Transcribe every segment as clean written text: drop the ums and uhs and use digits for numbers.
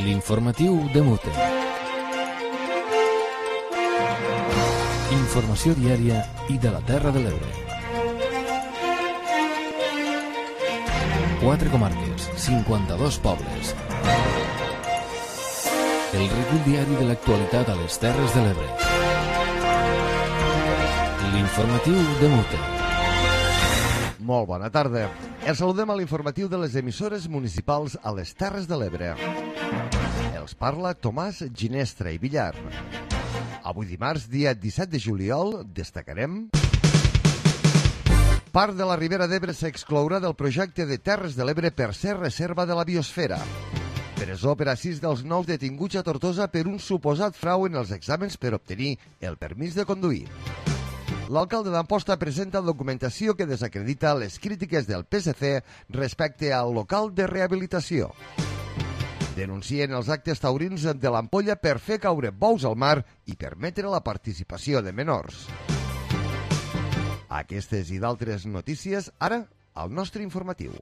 L'informatiu de Mute. Informació diària i de la Terra de l'Ebre. 4 comarques, 52 pobles. El recull diari de l'actualitat a les Terres de l'Ebre. L'informatiu de Mute. Molt bona tarda. Els saludem a l'informatiu de les emissores municipals a les Terres de l'Ebre. Els parla Tomàs Ginestra i Villar. Avui dimarts, dia 17 de juliol, destacarem... Part de la Ribera d'Ebre s'exclourà del projecte de Terres de l'Ebre per ser reserva de la biosfera. Presó per a 6 dels 9 detinguts a Tortosa per un suposat frau en els exàmens per obtenir el permís de conduir. L'alcalde d'Amposta presenta documentació que desacredita les crítiques del PSC respecte al local de rehabilitació. Denuncien els actes taurins de l'Ampolla per fer caure bous al mar i permetre la participació de menors. Aquestes i d'altres notícies, ara, al nostre informatiu.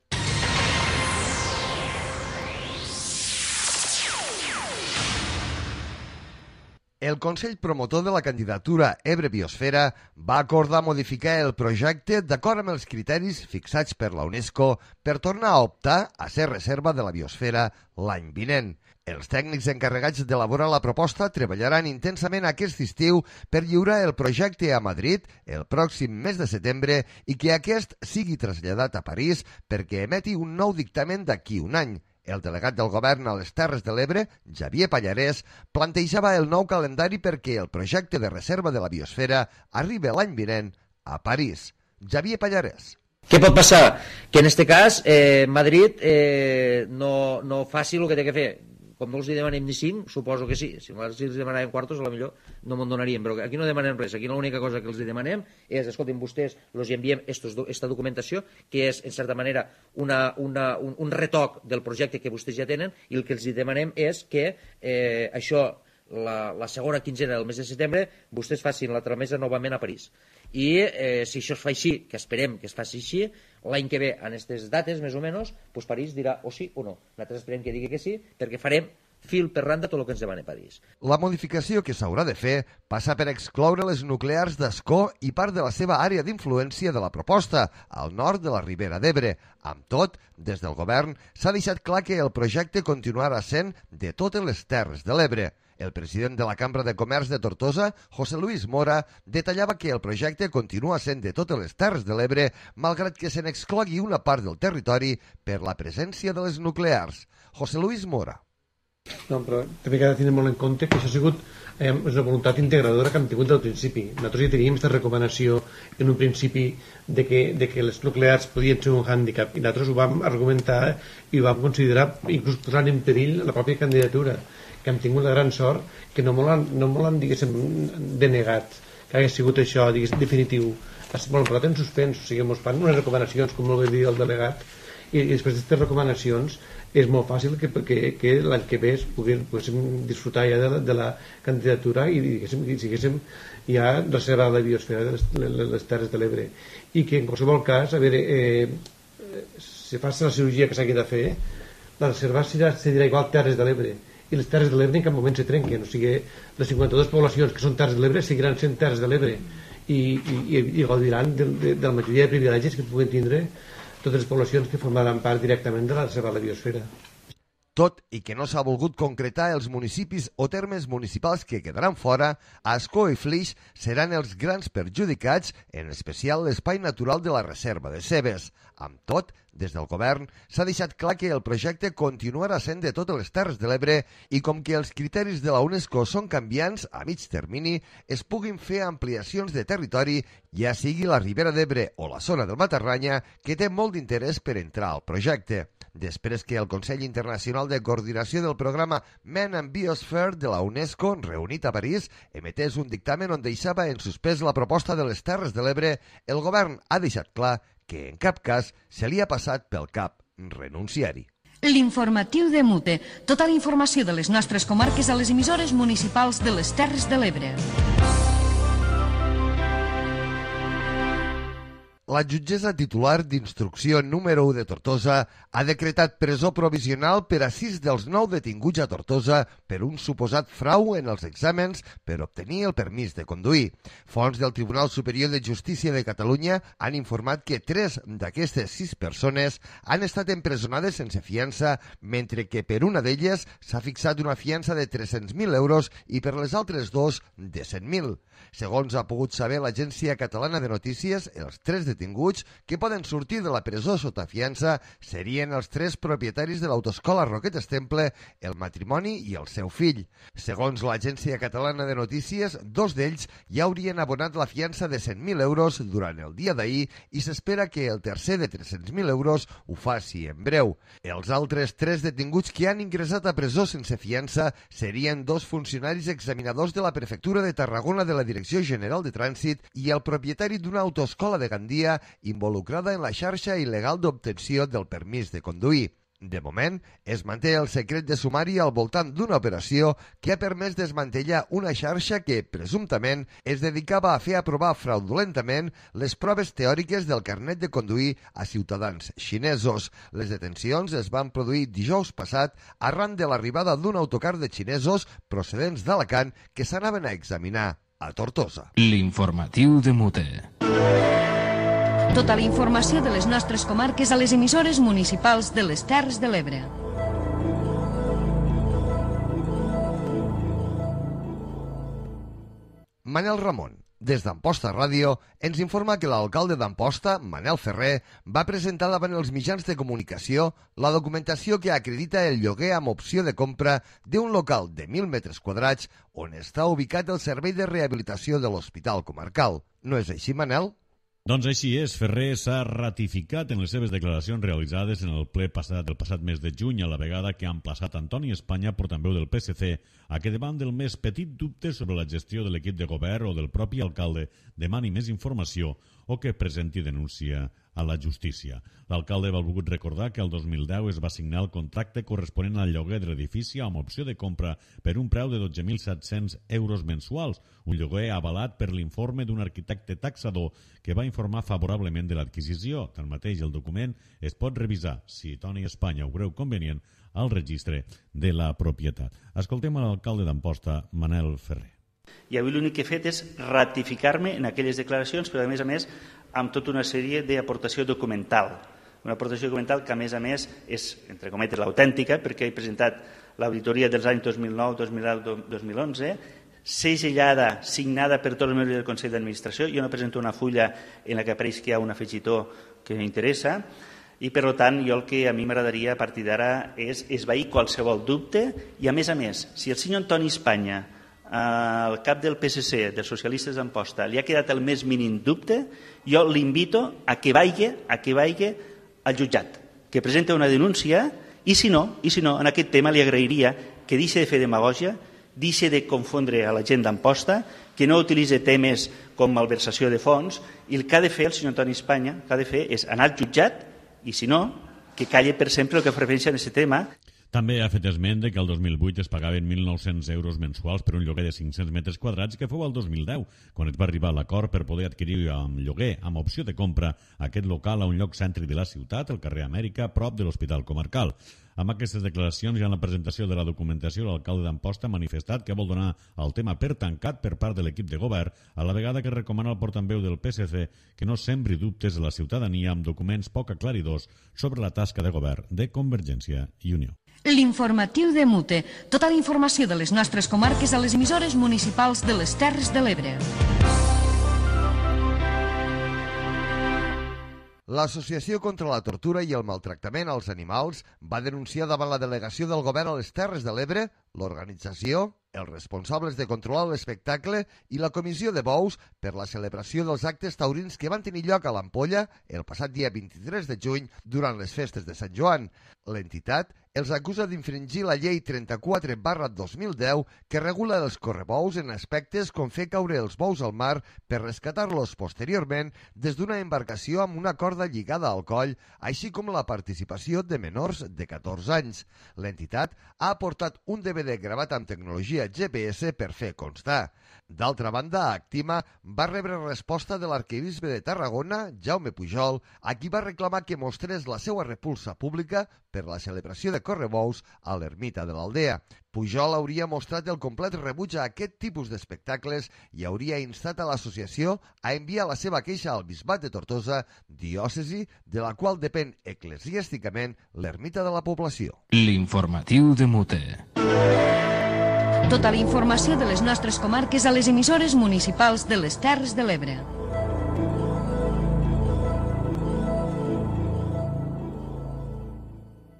El Consell Promotor de la candidatura Ebre Biosfera va acordar modificar el projecte d'acord amb els criteris fixats per la UNESCO per tornar a optar a ser reserva de la biosfera l'any vinent. Els tècnics encarregats d'elaborar la proposta treballaran intensament aquest estiu per lliurar el projecte a Madrid el pròxim mes de setembre i que aquest sigui traslladat a París perquè emeti un nou dictamen d'aquí un any. El delegat del govern a les Terres de l'Ebre, Xavier Pallarès, plantejava el nou calendari perquè el projecte de reserva de la biosfera arribi l'any vinent a París. Xavier Pallarès. Què pot passar? Que en aquest cas Madrid no faci el que té que fer. Com no els demanem ni 5, suposo que sí. Si els demanàvem quartos, potser no me'n donaríem. Però aquí no demanem res. Aquí l'única cosa que els demanem és, escoltin, vostès els enviem aquesta documentació, que és, en certa manera, un retoc del projecte que vostès ja tenen, i el que els demanem és que això, la segona quinzena del mes de setembre, vostès facin la tramesa novament a París. I si això es fa així, que esperem que es faci així, l'any que ve, en aquestes dates, més o menys, doncs París dirà o sí o no. Nosaltres esperem que digui que sí, perquè farem fil per randa tot el que ens demana París. La modificació que s'haurà de fer passa per excloure les nuclears d'Ascó i part de la seva àrea d'influència de la proposta, al nord de la Ribera d'Ebre. Amb tot, des del govern s'ha deixat clar que el projecte continuarà sent de totes les Terres de l'Ebre. El president de la Cambra de Comerç de Tortosa, José Luis Mora, detallava que el projecte continua sent de totes les Terres de l'Ebre, malgrat que se n'exclogui una part del territori per la presència de les nuclears. José Luis Mora. No, però també cal tenir molt en compte que això ha sigut una voluntat integradora que hem tingut del principi. Nosaltres ja teníem aquesta recomanació en un principi de que les nuclears podien ser un hàndicap, i nosaltres ho vam argumentar i ho vam considerar inclús posant en perill la pròpia candidatura, que hem tingut la gran sort que no me l'han diguéssim, denegat, que hagués sigut això, diguéssim, definitiu. Bueno, però en suspens, o sigui, ens fan unes recomanacions, com molt bé dir el delegat, i després d'aquestes recomanacions és molt fàcil que l'any que ve poguéssim disfrutar ja de la candidatura i diguéssim ja reservar la biosfera de les Terres de l'Ebre. I que en qualsevol cas, a veure, si fas la cirurgia que s'hagi de fer, la reserva serà igual Terres de l'Ebre, i les Terres de l'Ebre en cap moment se trenquen, o sigui, les 52 poblacions que són Terres de l'Ebre seguiran sent Terres de l'Ebre i gaudiran de la majoria de privilegis que puguen tindre totes les poblacions que formaran part directament de la reserva de la biosfera. Tot i que no s'ha volgut concretar els municipis o termes municipals que quedaran fora, Ascó i Flix seran els grans perjudicats, en especial l'espai natural de la reserva de Cebes. Amb tot, des del govern s'ha deixat clar que el projecte continuarà sent de totes les Terres de l'Ebre i com que els criteris de la UNESCO són canviants a mig termini, es puguin fer ampliacions de territori, ja sigui la Ribera d'Ebre o la zona del Matarranya, que té molt d'interès per entrar al projecte. Després que el Consell Internacional de Coordinació del Programa Men and Biosphere de la UNESCO, reunit a París, emetés un dictamen on deixava en suspès la proposta de les Terres de l'Ebre, el govern ha deixat clar que en cap cas se li ha passat pel cap renunciar-hi. L'informatiu de Mute. Tota la informació de les nostres comarques a les emissores municipals de les Terres de l'Ebre. La jutgessa titular d'instrucció número 1 de Tortosa ha decretat presó provisional per a 6 dels 9 detinguts a Tortosa per un suposat frau en els exàmens per obtenir el permís de conduir. Fonts del Tribunal Superior de Justícia de Catalunya han informat que 3 d'aquestes 6 persones han estat empresonades sense fiança, mentre que per una d'elles s'ha fixat una fiança de 300.000 euros i per les altres 2 de 100.000. Segons ha pogut saber l'Agència Catalana de Notícies, els 3 detinguts que poden sortir de la presó sota fiança serien els 3 propietaris de l'autoescola Roquetes Temple, el matrimoni i el seu fill. Segons l'Agència Catalana de Notícies, 2 d'ells ja haurien abonat la fiança de 100.000 euros durant el dia d'ahir i s'espera que el tercer de 300.000 euros ho faci en breu. Els altres 3 detinguts que han ingressat a presó sense fiança serien 2 funcionaris examinadors de la Prefectura de Tarragona de la Direcció General de Trànsit i el propietari d'una autoescola de Gandia involucrada en la xarxa il·legal d'obtenció del permís de conduir. De moment, es manté el secret de sumari al voltant d'una operació que ha permès desmantellar una xarxa que, presumptament, es dedicava a fer aprovar fraudulentament les proves teòriques del carnet de conduir a ciutadans xinesos. Les detencions es van produir dijous passat arran de l'arribada d'un autocar de xinesos procedents d'Alacant que s'anaven a examinar a Tortosa. L'informatiu de Mute. Tota la informació de les nostres comarques a les emissores municipals de les Terres de l'Ebre. Manel Ramon, des d'Amposta Ràdio, ens informa que l'alcalde d'Amposta, Manel Ferrer, va presentar davant els mitjans de comunicació la documentació que acredita el lloguer amb opció de compra d'un local de 1.000 metres quadrats on està ubicat el servei de rehabilitació de l'Hospital Comarcal. No és així, Manel? Doncs així és, Ferrer s'ha ratificat en les seves declaracions realitzades en el ple passat del passat mes de juny, a la vegada que ha emplaçat Antoni Espanya, portaveu del PSC, a que davant del més petit dubte sobre la gestió de l'equip de govern o del propi alcalde demani més informació o que presenti denúncia a la justícia. L'alcalde va volgut recordar que el 2010 es va signar el contracte corresponent al lloguer de l'edifici amb opció de compra per un preu de 12.700 euros mensuals, un lloguer avalat per l'informe d'un arquitecte taxador que va informar favorablement de l'adquisició. Tanmateix, el document es pot revisar, si Toni Espanya ho creu convenient, al registre de la propietat. Escoltem l'alcalde d'Amposta, Manel Ferrer. I avui l'únic que he fet és ratificar-me en aquelles declaracions, però a més, amb tota una sèrie d'aportació documental. Una aportació documental que, a més, és, entre cometes, l'autèntica, perquè he presentat l'auditoria dels anys 2009, 2010, 2011, segellada, signada per tots els membres del Consell d'Administració. Jo no presento una fulla en la que apareix que hi ha un afegitó que m'interessa, i, per tant, jo el que a mi m'agradaria a partir d'ara és esvair qualsevol dubte i, a més, si el senyor Antoni Espanya, el cap del PSC, dels socialistes d'Amposta, li ha quedat el més mínim dubte, jo l'invito a que vagi al jutjat, que presenta una denúncia i si no, en aquest tema li agrairia que deixi de fer demagògia, deixi de confondre a la gent d'Amposta, que no utilitzi temes com malversació de fons, i el que ha de fer el senyor Antoni Espanya, el que ha de fer és anar al jutjat i si no, que calle per sempre el que fa referència a aquest tema. També ha fet esment de que el 2008 es pagaven 1.900 euros mensuals per un lloguer de 500 metres quadrats que fou el 2010, quan es va arribar a l'acord per poder adquirir amb lloguer, amb opció de compra, aquest local a un lloc cèntric de la ciutat, al carrer Amèrica, prop de l'Hospital Comarcal. Amb aquestes declaracions i en la presentació de la documentació, l'alcalde d'Amposta ha manifestat que vol donar el tema per tancat per part de l'equip de govern, a la vegada que recomana al portaveu del PSC que no sembri dubtes a la ciutadania amb documents poc aclaridors sobre la tasca de govern de Convergència i Unió. L'informatiu de Mute. Tota la informació de les nostres comarques a les emissores municipals de les Terres de l'Ebre. L'Associació contra la Tortura i el Maltractament als Animals va denunciar davant la delegació del govern a les Terres de l'Ebre, l'organització, els responsables de controlar l'espectacle i la comissió de bous per la celebració dels actes taurins que van tenir lloc a l'Ampolla el passat dia 23 de juny durant les festes de Sant Joan. L'entitat els acusa d'infringir la llei 34/2010 que regula els correbous en aspectes com fer caure els bous al mar per rescatar-los posteriorment des d'una embarcació amb una corda lligada al coll, així com la participació de menors de 14 anys. L'entitat ha aportat un DVD gravat amb tecnologia GPS per fer constar. D'altra banda, Actima va rebre resposta de l'arquebisbe de Tarragona, Jaume Pujol, a qui va reclamar que mostrés la seva repulsa pública per la celebració de correbous a l'ermita de l'Aldea. Pujol hauria mostrat el complet rebuig a aquest tipus d'espectacles i hauria instat a l'associació a enviar la seva queixa al bisbat de Tortosa, diòcesi de la qual depèn eclesiàsticament l'ermita de la població. L'informatiu de Mute. Tota la informació de les nostres comarques a les emissores municipals de les Terres de l'Ebre.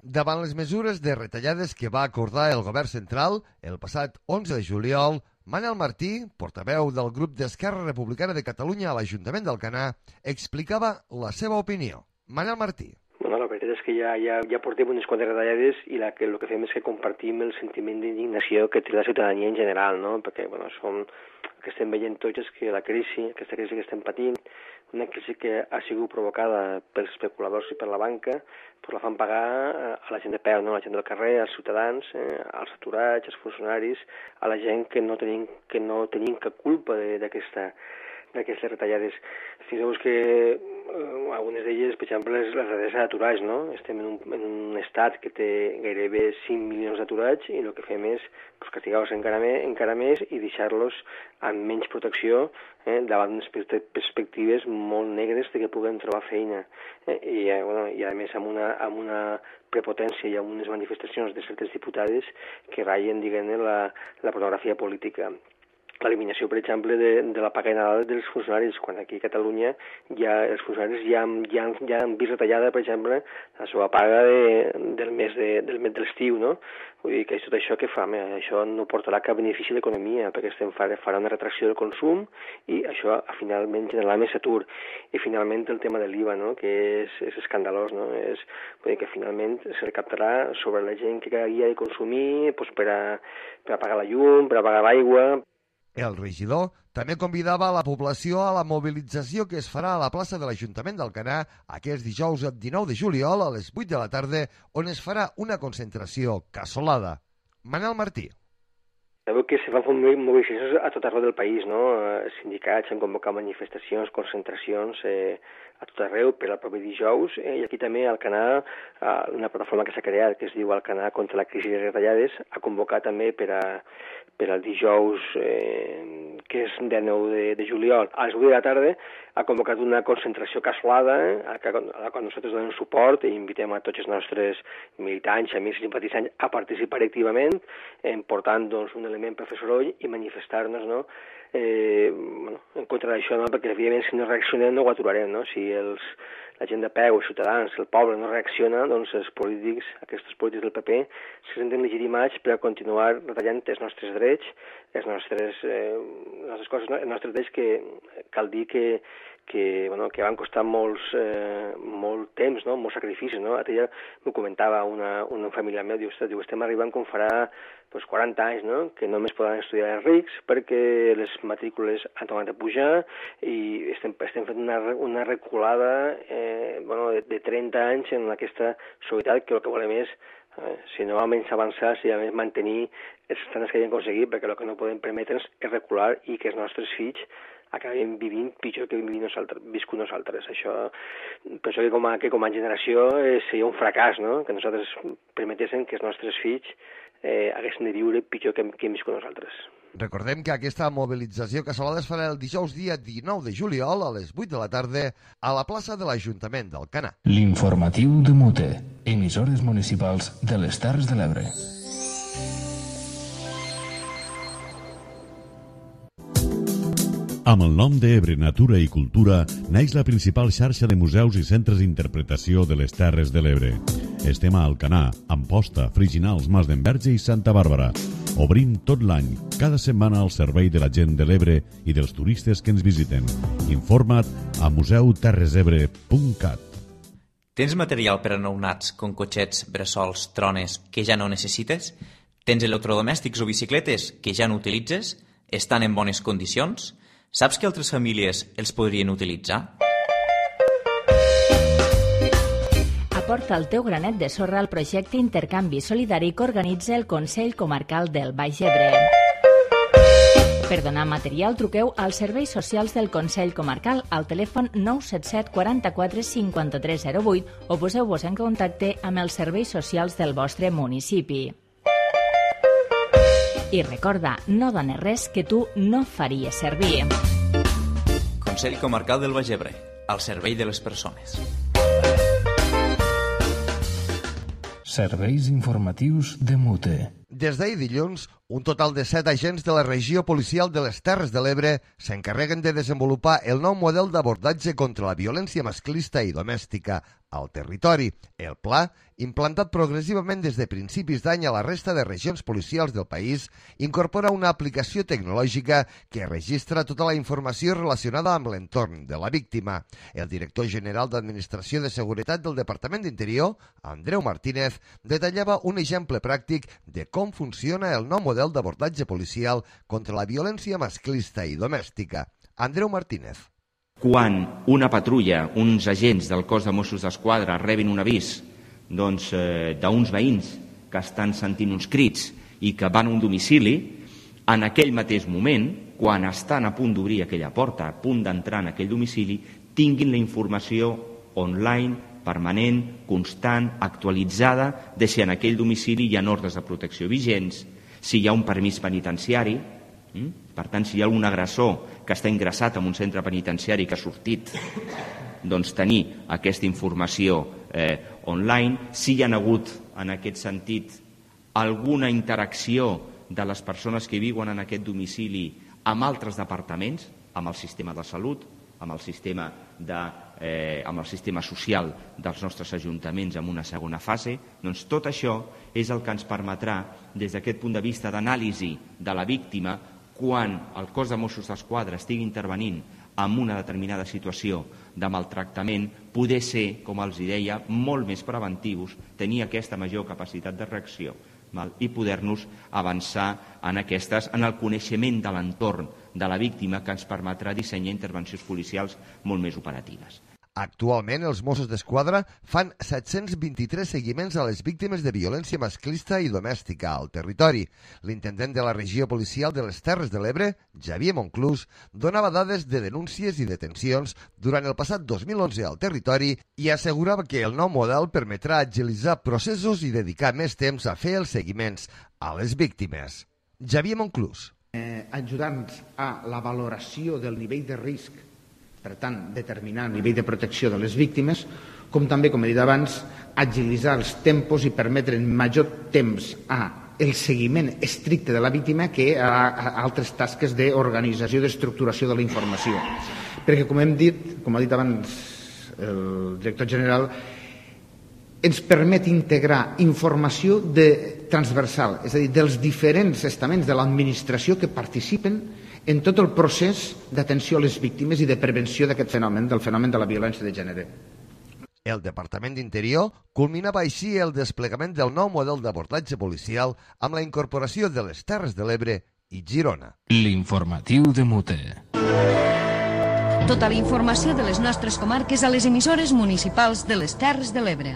Davant les mesures de retallades que va acordar el govern central el passat 11 de juliol, Manel Martí, portaveu del grup d'Esquerra Republicana de Catalunya a l'Ajuntament d'Alcanar, explicava la seva opinió. Manel Martí. Bueno, la veritat és que ja portem unes quantes retallades i el que fem és que compartim el sentiment d'indignació que té la ciutadania en general, no? Perquè el que estem veient tots és que aquesta crisi que estem patint, una crisi que ha sigut provocada pels especuladors i per la banca, doncs la fan pagar a la gent de peu, no? A la gent del carrer, als ciutadans, als aturats, als funcionaris, a la gent que no tenim cap culpa d'aquestes retallades. Fixeu-vos que algunes d'elles, per exemple, les retallades d'aturats, no? Estem en un estat que té gairebé 5 milions d'aturats i el que fem és castigar-los encara més i deixar-los amb menys protecció davant d'unes perspectives molt negres de que puguen trobar feina. I a més amb una prepotència i amb unes manifestacions de certes diputades que ratllen, diguem-ne, la pornografia política. L'eliminació, per exemple, de la paga de Nadal dels funcionaris, quan aquí a Catalunya els funcionaris ja han vist retallada, per exemple, la seva paga del mes de l'estiu, no? Vull dir que tot això que fa, això no portarà cap benefici a l'economia, perquè farà una retracció del consum i això finalment generarà més atur. I finalment el tema de l'IVA, no? Que és escandalós, no? Vull dir que finalment se recaptarà sobre la gent que cada dia ha de consumir per a pagar la llum, per a pagar l'aigua. El regidor també convidava a la població a la mobilització que es farà a la plaça de l'Ajuntament d'Alcanar aquest dijous 19 de juliol a les 8 de la tarda, on es farà una concentració casolada. Manel Martí. Sabeu que se fan mobilitzacions a tot arreu del país, no? Sindicats han convocat manifestacions, concentracions a tot arreu per al proper dijous, i aquí també Alcanar, una plataforma que s'ha creat que es diu Alcanar contra la crisi de retallades, ha convocat també per al dijous, que és 19 de juliol, a les 8 de la tarda, ha convocat una concentració casolada, a la qual nosaltres donem suport i invitem a tots els nostres militants, amics i simpatitzants a participar activament, portant un element per fer soroll i manifestar-nos, no? En contra d'això, no? Perquè evidentment si no reaccionem no ho aturarem, no? Si la gent de peu, els ciutadans, el poble no reacciona, doncs els polítics, aquests polítics del PP, se senten legitimats per a continuar retallant els nostres drets, les nostres coses, no? Els nostres drets que cal dir que van costar molt temps, no? Molts sacrificis, no? Ella m'ho comentava una família meva, diu, estem arribant com farà 40 anys, no? Que només poden estudiar els rics perquè les matrícules han tornat a pujar i estem fent una reculada de 30 anys en aquesta societat que el que volem és, si no almenys avançar, si almenys mantenir els estàndards que hem aconseguit, perquè el que no podem permetre'ns és recular i que els nostres fills acabem vivint pitjor que hem viscut nosaltres. Això, penso que com a generació seria un fracàs, no? Que nosaltres permetéssim que els nostres fills haguessin de viure pitjor que hem viscut nosaltres. Recordem que aquesta mobilització casolada es farà el dijous dia 19 de juliol a les 8 de la tarda a la plaça de l'Ajuntament d'Alcanar. L'informatiu de Mute, emissores municipals de les Terres de l'Ebre. Amb el nom d'Ebre Natura i Cultura naix la principal xarxa de museus i centres d'interpretació de les Terres de l'Ebre. Estem a Alcanar, Amposta, Friginals, Mas d'Enverge i Santa Bàrbara. Obrim tot l'any, cada setmana al servei de la gent de l'Ebre i dels turistes que ens visiten. Informa't a museuterresebre.cat. Tens material per a nounats com cotxets, bressols, trones que ja no necessites? Tens electrodomèstics o bicicletes que ja no utilitzes? Estan en bones condicions? Saps que altres famílies els podrien utilitzar? Aporta el teu granet de sorra al projecte Intercanvi Solidari que organitza el Consell Comarcal del Baix Ebre. Per donar material, truqueu als serveis socials del Consell Comarcal al telèfon 977 44 5308 o poseu-vos en contacte amb els serveis socials del vostre municipi. I recorda, no dones res que tu no faries servir. Consell Comarcal del Baix Ebre, al servei de les persones. Serveis informatius de Mute. Des d'ahir dilluns, un total de 7 agents de la regió policial de les Terres de l'Ebre s'encarreguen de desenvolupar el nou model d'abordatge contra la violència masclista i domèstica al territori. El pla, implantat progressivament des de principis d'any a la resta de regions policials del país, incorpora una aplicació tecnològica que registra tota la informació relacionada amb l'entorn de la víctima. El director general d'Administració de Seguretat del Departament d'Interior, Andreu Martínez, detallava un exemple pràctic de com funciona el nou model d'abordatge policial contra la violència masclista i domèstica. Andreu Martínez. Quan una patrulla, uns agents del cos de Mossos d'Esquadra rebin un avís d'uns veïns que estan sentint uns crits i que van a un domicili, en aquell mateix moment, quan estan a punt d'obrir aquella porta, a punt d'entrar en aquell domicili, tinguin la informació online, permanent, constant, actualitzada, de si en aquell domicili hi ha ordres de protecció vigents, si hi ha un permís penitenciari. Per tant, si hi ha algun agressor que està ingressat en un centre penitenciari que ha sortit, doncs tenir aquesta informació online. Si hi ha hagut, en aquest sentit, alguna interacció de les persones que viuen en aquest domicili amb altres departaments, amb el sistema de salut, amb el sistema social dels nostres ajuntaments en una segona fase, doncs tot això és el que ens permetrà, des d'aquest punt de vista d'anàlisi de la víctima, quan el cos de Mossos d'Esquadra estigui intervenint en una determinada situació de maltractament, poder ser, com els deia, molt més preventius, tenir aquesta major capacitat de reacció i poder-nos avançar en el coneixement de l'entorn de la víctima, que ens permetrà dissenyar intervencions policials molt més operatives. Actualment, els Mossos d'Esquadra fan 723 seguiments a les víctimes de violència masclista i domèstica al territori. L'intendent de la regió policial de les Terres de l'Ebre, Xavier Monclús, donava dades de denúncies i detencions durant el passat 2011 al territori i assegurava que el nou model permetrà agilitzar processos i dedicar més temps a fer els seguiments a les víctimes. Xavier Monclús. Ajudant a la valoració del nivell de risc, per tant, determinar el nivell de protecció de les víctimes, com també, com he dit abans, agilitzar els tempos i permetre major temps al seguiment estricte de la víctima que a altres tasques d'organització i d'estructuració de la informació. Perquè, com hem dit, com ha dit abans el director general, ens permet integrar informació transversal, és a dir, dels diferents estaments de l'administració que participen en tot el procés d'atenció a les víctimes i de prevenció d'aquest fenomen, del fenomen de la violència de gènere. El Departament d'Interior culminava així el desplegament del nou model d'abordatge policial amb la incorporació de les Terres de l'Ebre i Girona. L'informatiu de Mute. Tota la informació de les nostres comarques a les emissores municipals de les Terres de l'Ebre.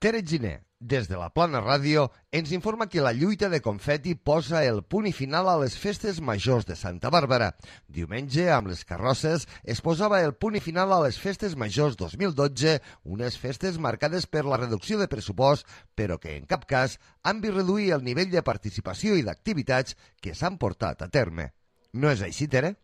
Tere Giner, des de la Plana Ràdio, ens informa que la lluita de confeti posa el punt i final a les festes majors de Santa Bàrbara. Diumenge, amb les carrosses, es posava el punt i final a les festes majors 2012, unes festes marcades per la reducció de pressupost, però que en cap cas han vist reduir el nivell de participació i d'activitats que s'han portat a terme. No és així, Tere?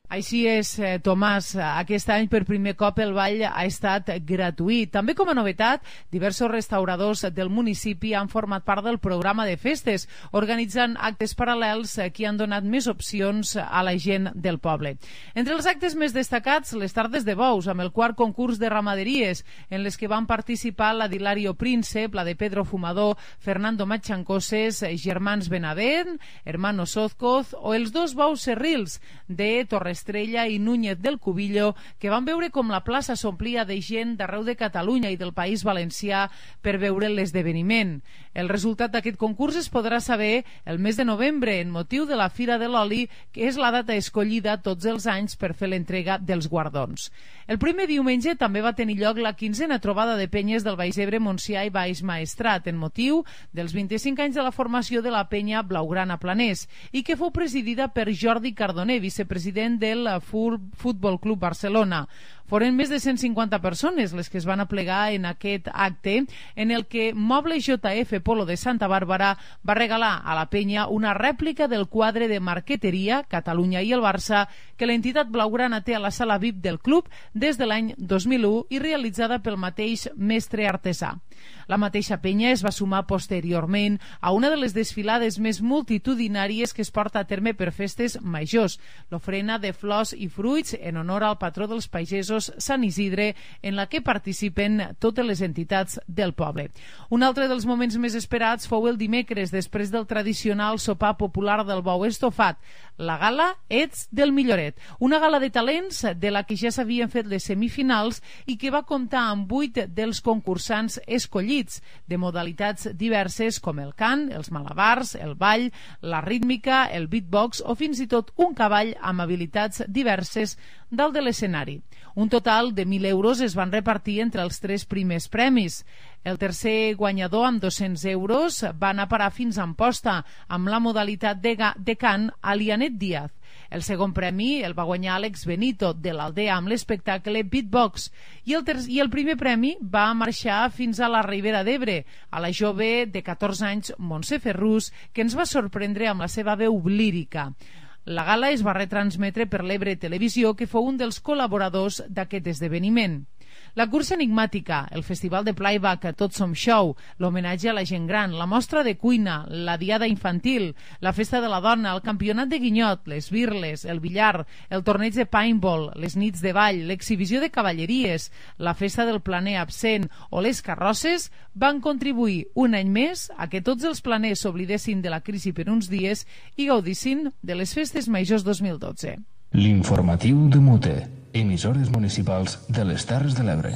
Així és, Tomàs. Aquest any per primer cop el ball ha estat gratuït. També com a novetat, diversos restauradors del municipi han format part del programa de festes, organitzant actes paral·lels que han donat més opcions a la gent del poble. Entre els actes més destacats, les tardes de bous, amb el quart concurs de ramaderies, en les que van participar la d'Hilario Príncep, la de Pedro Fumador, Fernando Machancoses, Germans Benavent, Hermano Sozcoz o els dos bous serrils de Torres Estrella i Núñez del Cubillo, que van veure com la plaça s'omplia de gent d'arreu de Catalunya i del País Valencià per veure l'esdeveniment. El resultat d'aquest concurs es podrà saber el mes de novembre, en motiu de la Fira de l'Oli, que és la data escollida tots els anys per fer l'entrega dels guardons. El primer diumenge també va tenir lloc la 15a trobada de penyes del Baix Ebre, Montsià i Baix Maestrat, en motiu dels 25 anys de la formació de la penya Blaugrana Planès, i que fou presidida per Jordi Cardoner, vicepresident del Futbol Club Barcelona. Foren més de 150 persones les que es van aplegar en aquest acte, en el que Mobles JF Polo de Santa Bàrbara va regalar a la penya una rèplica del quadre de marqueteria Catalunya i el Barça que l'entitat blaugrana té a la sala VIP del club des de l'any 2001 i realitzada pel mateix mestre artesà. La mateixa penya es va sumar posteriorment a una de les desfilades més multitudinàries que es porta a terme per festes majors, l'ofrena de flors i fruits en honor al patró dels pagesos Sant Isidre, en la que participen totes les entitats del poble. Un altre dels moments més esperats fou el dimecres, després del tradicional sopar popular del bou estofat, la gala Ets del Milloret, una gala de talents de la que ja s'havien fet les semifinals i que va comptar amb 8 dels concursants escollits, de modalitats diverses com el cant, els malabars, el ball, la rítmica, el beatbox o fins i tot un cavall amb habilitats diverses dalt de l'escenari. Un total de 1.000 euros es van repartir entre els 3 primers premis. El tercer guanyador, amb 200 euros, va anar a parar fins a Amposta, amb la modalitat de cant a Lianet Díaz. El segon premi el va guanyar Àlex Benito, de l'Aldea, amb l'espectacle Beatbox. I el primer premi va marxar fins a la Ribera d'Ebre, a la jove de 14 anys, Montse Ferrús, que ens va sorprendre amb la seva veu lírica. La gala es va retransmetre per l'Ebre Televisió, que fou un dels col·laboradors d'aquest esdeveniment. La cursa enigmàtica, el festival de playback Tots Som Show, l'homenatge a la gent gran, la mostra de cuina, la diada infantil, la festa de la dona, el campionat de guinyot, les birles, el billar, el torneig de paintball, les nits de ball, l'exhibició de cavalleries, la festa del planer absent o les carrosses van contribuir un any més a que tots els planers s'oblidessin de la crisi per uns dies i gaudissin de les festes majors 2012. L'informatiu de Mute, emissores municipals de les Terres de l'Ebre.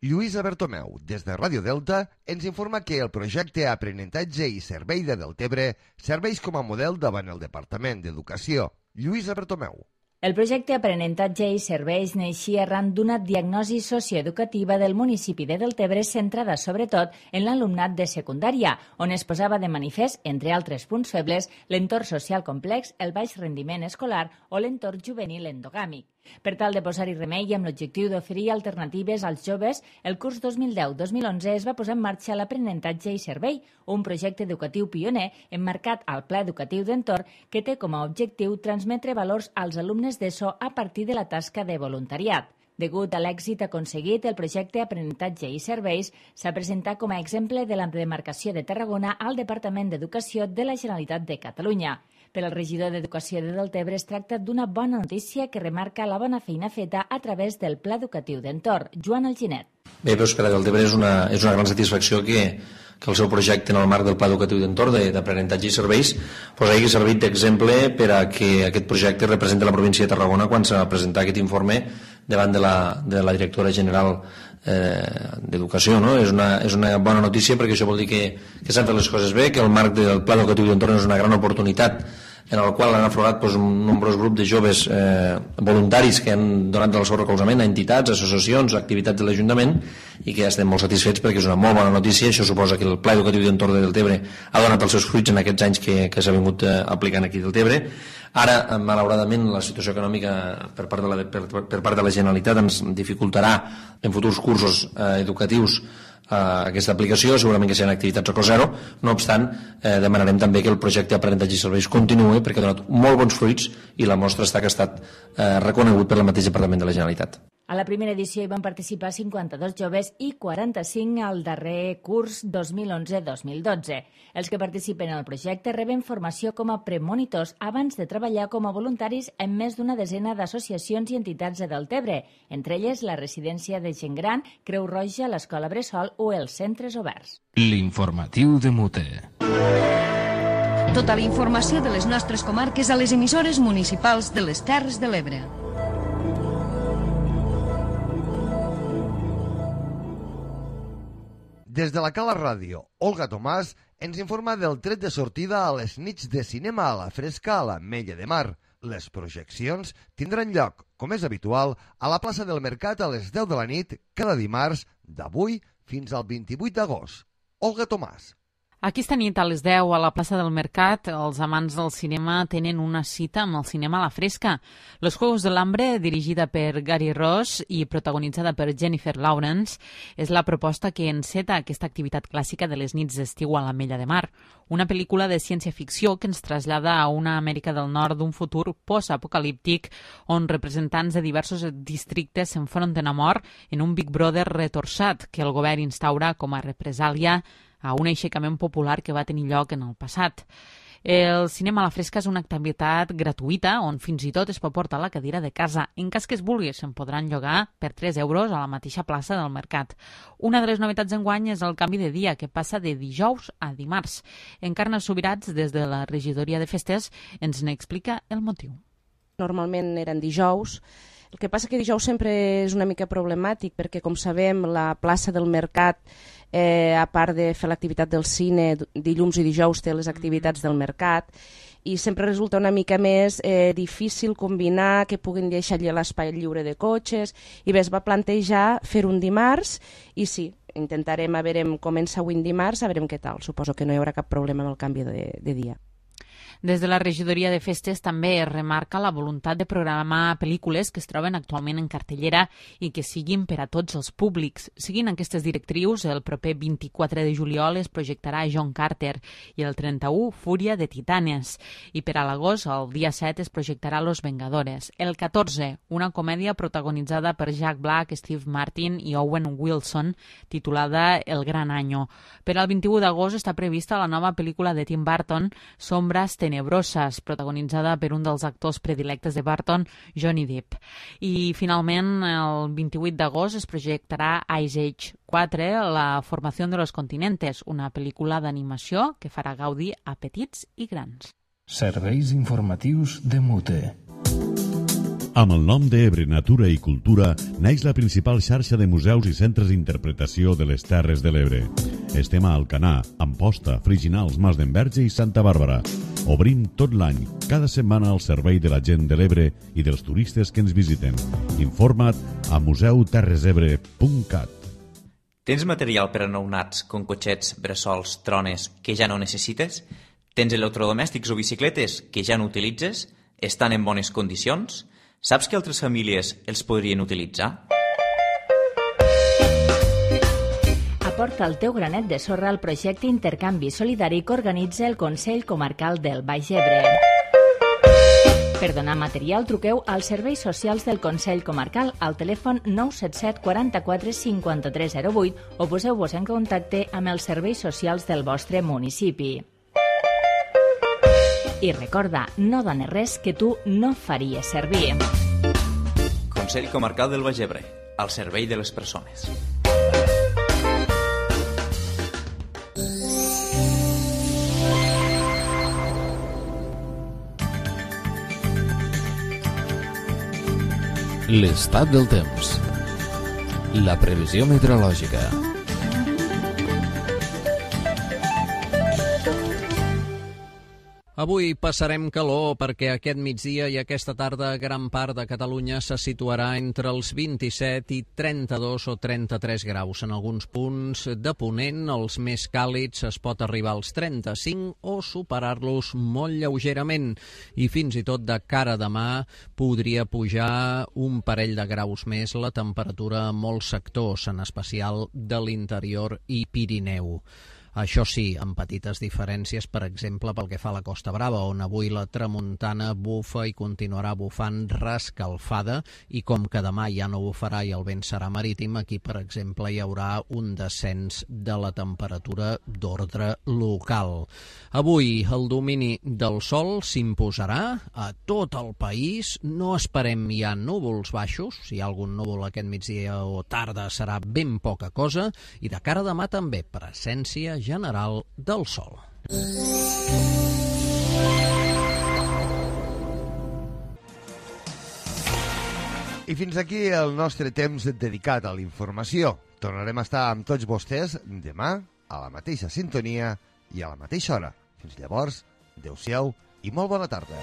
Lluïsa Bertomeu, des de Ràdio Delta, ens informa que el projecte Aprenentatge i Servei de Deltebre serveix com a model davant el Departament d'Educació. Lluïsa Bertomeu. El projecte Aprenentatge i Serveis neixia arran d'una diagnosi socioeducativa del municipi de Deltebre centrada sobretot en l'alumnat de secundària, on es posava de manifest, entre altres punts febles, l'entorn social complex, el baix rendiment escolar o l'entorn juvenil endogàmic. Per tal de posar-hi remei i amb l'objectiu d'oferir alternatives als joves, el curs 2010-2011 es va posar en marxa l'Aprenentatge i Servei, un projecte educatiu pioner emmarcat al Pla Educatiu d'Entorn que té com a objectiu transmetre valors als alumnes d'ESO a partir de la tasca de voluntariat. Degut a l'èxit aconseguit, el projecte Aprenentatge i Serveis s'ha presentat com a exemple de la demarcació de Tarragona al Departament d'Educació de la Generalitat de Catalunya. Per al regidor d'Educació de Deltebre es tracta d'una bona notícia que remarca la bona feina feta a través del Pla Educatiu d'Entorn. Joan Alginet. Bé, doncs per a Deltebre és una gran satisfacció que el seu projecte en el marc del Pla Educatiu d'Entorn d'aprenentatge i serveis hagi servit d'exemple per a que aquest projecte representi la província de Tarragona quan s'ha presentat aquest informe davant de la directora general d'Educació. No? És una bona notícia perquè això vol dir que s'han fet les coses bé, que el marc del Pla Educatiu d'Entorn és una gran oportunitat en el qual han aflorat un nombrós grup de joves voluntaris que han donat el seu recolzament a entitats, associacions, activitats de l'Ajuntament i que estem molt satisfets perquè és una molt bona notícia. Això suposa que el Pla Educatiu d'Entorn de Deltebre ha donat els seus fruits en aquests anys que s'ha vingut aplicant aquí a Deltebre. Ara, malauradament, la situació econòmica per part de la Generalitat ens dificultarà en futurs cursos educatius aquesta aplicació, segurament que seran activitats a cost zero. No obstant, demanarem també que el projecte Aprenentatge i Serveis continuï perquè ha donat molt bons fruits i la mostra està que ha estat reconegut per el mateix Departament de la Generalitat. A la primera edició hi van participar 52 joves i 45 al darrer curs 2011-2012. Els que participen en el projecte reben formació com a premonitors abans de treballar com a voluntaris en més d'una desena d'associacions i entitats de Deltebre, entre elles la residència de gent gran, Creu Roja, l'Escola Bressol o els centres oberts. L'informatiu de Mute. Tota la informació de les nostres comarques a les emissores municipals de les Terres de l'Ebre. Des de la Cala Ràdio, Olga Tomàs ens informa del tret de sortida a les nits de cinema a la fresca a l'Ametlla de Mar. Les projeccions tindran lloc, com és habitual, a la plaça del Mercat a les 10 de la nit cada dimarts d'avui fins al 28 d'agost. Olga Tomàs. Aquesta nit a les 10 a la plaça del Mercat, els amants del cinema tenen una cita amb el cinema a la fresca. Los Juegos del Hambre, dirigida per Gary Ross i protagonitzada per Jennifer Lawrence, és la proposta que enceta aquesta activitat clàssica de les nits d'estiu a l'Ametlla de Mar. Una pel·lícula de ciència-ficció que ens trasllada a una Amèrica del Nord d'un futur post-apocalíptic on representants de diversos districtes s'enfronten a mort en un Big Brother retorçat que el govern instaura com a represàlia a un aixecament popular que va tenir lloc en el passat. El cinema a la fresca és una activitat gratuïta on fins i tot es pot portar la cadira de casa. En cas que es vulgui, se'n podran llogar per 3 euros a la mateixa plaça del Mercat. Una de les novetats d'enguany és el canvi de dia, que passa de dijous a dimarts. Encarna Subirats, des de la regidoria de festes, ens n'explica el motiu. Normalment eren dijous. El que passa que dijous sempre és una mica problemàtic perquè, com sabem, la plaça del Mercat, a part de fer l'activitat del cine, dilluns i dijous té les activitats del Mercat i sempre resulta una mica més difícil combinar que puguin deixar allà l'espai lliure de cotxes i bé, es va plantejar fer un dimarts i sí, intentarem, a veure, comença avui dimarts, a veure què tal. Suposo que no hi haurà cap problema amb el canvi de dia. Des de la regidoria de festes també es remarca la voluntat de programar pel·lícules que es troben actualment en cartellera i que siguin per a tots els públics. Seguint aquestes directrius, el proper 24 de juliol es projectarà John Carter i el 31 Fúria de Titanes. I per a l'agost, el dia 7, es projectarà Los Vengadores. El 14, una comèdia protagonitzada per Jack Black, Steve Martin i Owen Wilson, titulada El Gran Año. Per al 21 d'agost està prevista la nova pel·lícula de Tim Burton, Sombras Tenebroses, protagonitzada per un dels actors predilectes de Burton, Johnny Depp. I finalment, el 28 d'agost es projectarà Ice Age 4, La formació de los continentes, una pel·lícula d'animació que farà gaudir a petits i grans. Serveis informatius de Mute. Amb el nom d'Ebre Natura i Cultura naix la principal xarxa de museus i centres d'interpretació de les Terres de l'Ebre. Estem a Alcanar, Amposta, Friginals, Mas d'Enverge i Santa Bàrbara. Obrim tot l'any, cada setmana al servei de la gent de l'Ebre i dels turistes que ens visiten. Informa't a museuterresebre.cat. Tens material per a nounats, com cotxets, bressols, trones, que ja no necessites? Tens electrodomèstics o bicicletes que ja no utilitzes? Estan en bones condicions? Saps que altres famílies els podrien utilitzar? Aporta el teu granet de sorra al projecte Intercanvi Solidari que organitza el Consell Comarcal del Baix Ebre. Per donar material, truqueu als serveis socials del Consell Comarcal al telèfon 977 44 53 08 o poseu-vos en contacte amb els serveis socials del vostre municipi. I recorda, no dones res que tu no faries servir. Consell Comarcal del Baix Ebre, al servei de les persones. L'estat del temps. La previsió meteorològica. Avui passarem calor perquè aquest migdia i aquesta tarda gran part de Catalunya se situarà entre els 27 i 32 o 33 graus. En alguns punts de Ponent, els més càlids, es pot arribar als 35 o superar-los molt lleugerament. I fins i tot de cara a demà podria pujar un parell de graus més la temperatura a molts sectors, en especial de l'interior i Pirineu. Això sí, amb petites diferències, per exemple, pel que fa a la Costa Brava, on avui la tramuntana bufa i continuarà bufant rescalfada, i com que demà ja no bufarà i el vent serà marítim, aquí, per exemple, hi haurà un descens de la temperatura d'ordre local. Avui el domini del sol s'imposarà a tot el país, no esperem ja núvols baixos, si hi ha algun núvol aquest migdia o tarda serà ben poca cosa, i de cara a demà també presència general del sol. I fins aquí el nostre temps dedicat a la informació. Tornarem a estar amb tots vostès demà a la mateixa sintonia i a la mateixa hora. Fins llavors, adeu-siau i molt bona tarda.